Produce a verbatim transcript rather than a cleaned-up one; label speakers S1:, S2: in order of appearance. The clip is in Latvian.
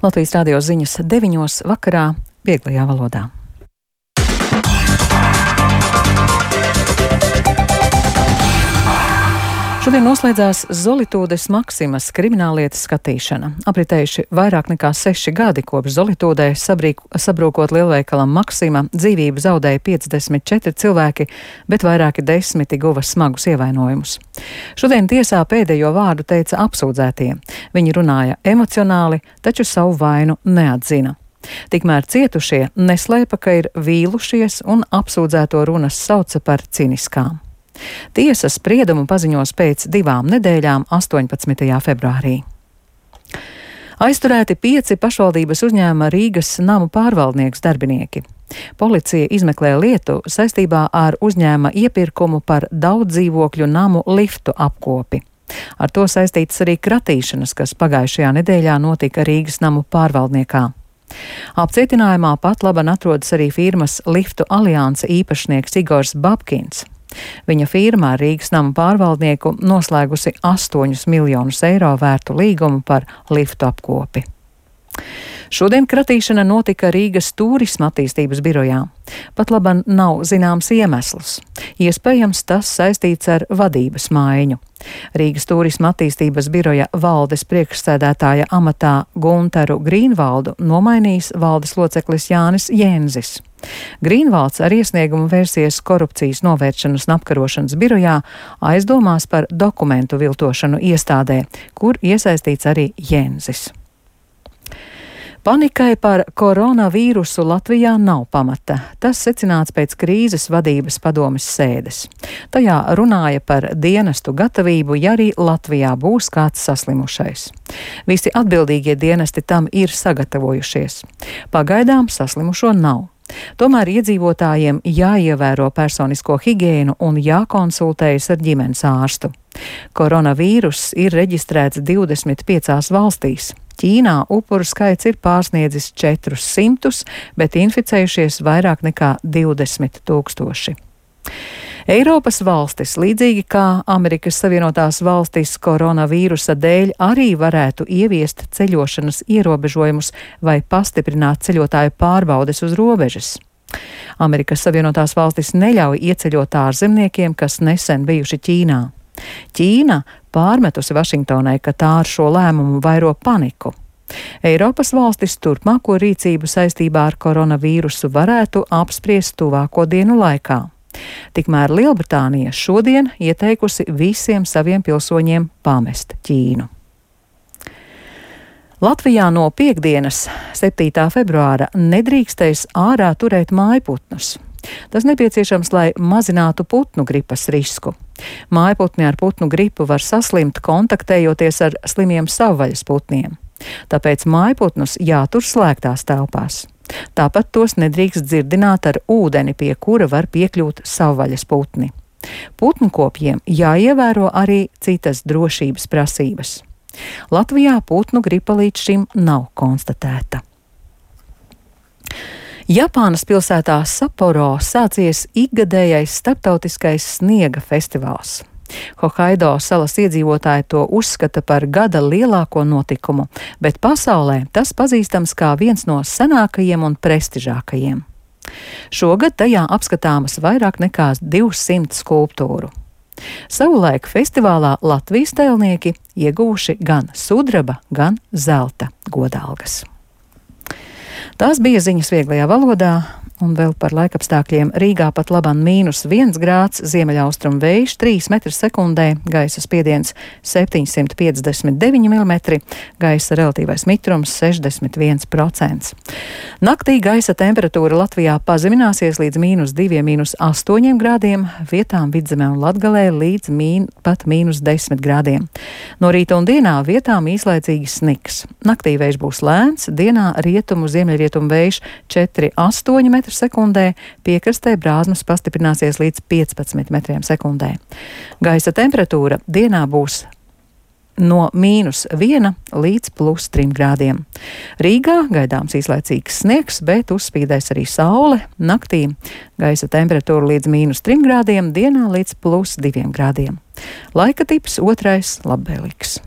S1: Latvijas radio ziņas deviņos vakarā vieglajā valodā. Šodien noslēdzās Zolitūdes Maksimas krimināllietas skatīšana. Apritējuši vairāk nekā seši gadi kopš Zolitūdē sabrīk, sabrūkot lielveikalam Maksima, dzīvību zaudēja piecdesmit četri cilvēki, bet vairāki desmiti guva smagus ievainojumus. Šodien tiesā pēdējo vārdu teica apsūdzētie. Viņi runāja emocionāli, taču savu vainu neatzina. Tikmēr cietušie neslēpa, ka ir vīlušies un apsūdzēto runas sauca par ciniskām. Tiesa spriedumu paziņos pēc divām nedēļām, astoņpadsmitajā februārī. Aizturēti pieci pašvaldības uzņēmuma Rīgas namu pārvaldnieks darbinieki. Policija izmeklē lietu saistībā ar uzņēmuma iepirkumu par daudzdzīvokļu namu liftu apkopi. Ar to saistītas arī kratīšanas, kas pagājušajā nedēļā notika Rīgas namu pārvaldniekā. Apcietinājumā pat laban atrodas arī firmas Liftu alianse īpašnieks Igors Babkins. Viņa firma ar Rīgas namu pārvaldnieku noslēgusi astoņus miljonus eiro vērtu līgumu par liftu apkopi. Šodien kratīšana notika Rīgas turisma attīstības birojā. Pat laban nav zināms iemesls. Iespējams, tas saistīts ar vadības maiņu. Rīgas turisma attīstības biroja valdes priekšsēdētāja amatā Guntaru Grīnvaldu nomainījis valdes loceklis Jānis Jēnzis. Grīnvalds ar iesniegumu vērsies korupcijas novēršanas un apkarošanas birojā aizdomās par dokumentu viltošanu iestādē, kur iesaistīts arī Jēnzis. Panikai par koronavīrusu Latvijā nav pamata. Tas secināts pēc krīzes vadības padomes sēdes. Tajā runāja par dienestu gatavību, ja arī Latvijā būs kāds saslimušais. Visi atbildīgie dienesti tam ir sagatavojušies. Pagaidām saslimušo nav. Tomēr iedzīvotājiem jāievēro personisko higiēnu un jākonsultējas ar ģimenes ārstu. Koronavīruss ir reģistrēts divdesmit piecās valstīs. Ķīnā upuru skaits ir pārsniedzis četrus simtus, bet inficējušies vairāk nekā divdesmit tūkstoši. Eiropas valstis, līdzīgi kā Amerikas Savienotās valstis, koronavīrusa dēļ arī varētu ieviest ceļošanas ierobežojumus vai pastiprināt ceļotāju pārbaudes uz robežas. Amerikas Savienotās valstis neļauj ieceļot ārzemniekiem, kas nesen bijuši Ķīnā. Ķīna pārmetusi Vašingtonai, ka tā ar šo lēmumu vairo paniku. Eiropas valstis turpmāko rīcību saistībā ar koronavīrusu varētu apspriest tuvāko dienu laikā. Tikmēr Lielbritānija šodien ieteikusi visiem saviem pilsoņiem pamest Ķīnu. Latvijā no piektdienas, septītā februāra, nedrīkstēs ārā turēt mājputnus. Tas nepieciešams, lai mazinātu putnu gripas risku. Mājputni ar putnu gripu var saslimt, kontaktējoties ar slimiem savvaļas putniem. Tāpēc mājputnus jātur slēgtās telpās. Tāpat tos nedrīkst dzirdināt ar ūdeni, pie kura var piekļūt savvaļas putni. Putnkopjiem jāievēro arī citas drošības prasības. Latvijā putnu gripa līdz šim nav konstatēta. Japānas pilsētā Saporo sācies ikgadējais starptautiskais sniega festivāls. Hokaido salas iedzīvotāji to uzskata par gada lielāko notikumu, bet pasaulē tas pazīstams kā viens no senākajiem un prestižākajiem. Šogad tajā apskatāmas vairāk nekā divsimt skulptūru. Savulaik festivālā Latvijas tēlnieki ieguvuši gan sudraba, gan zelta godalgas. Tās bija ziņas vieglajā valodā. Un vēl par laikapstākļiem. Rīgā pat laban mīnus viens grāds, ziemeļaustrumu vējš trīs metri sekundē, gaisa spiediens septiņsimt piecdesmit deviņi milimetri, gaisa relatīvais mitrums sešdesmit viens procents. Naktī gaisa temperatūra Latvijā pazemināsies līdz mīnus diviem, mīnus astoņiem grādiem, vietām Vidzemē un Latgalē līdz mīn, pat mīnus desmit grādiem. No rīta un dienā vietām īslaicīgi sniks. Naktī vējš būs lēns, dienā rietumu ziemeļrietumu vējš četri astoņi metri sekundē, piekrastē brāzmas pastiprināsies līdz piecpadsmit metriem sekundē. Gaisa temperatūra dienā būs no mīnus viena līdz plus trim grādiem. Rīgā gaidāms īslaicīgs sniegs, bet uzspīdēs arī saule. Naktī gaisa temperatūra līdz mīnus trim grādiem, dienā līdz plus diviem grādiem. Laika tips otrais labvēlīgs.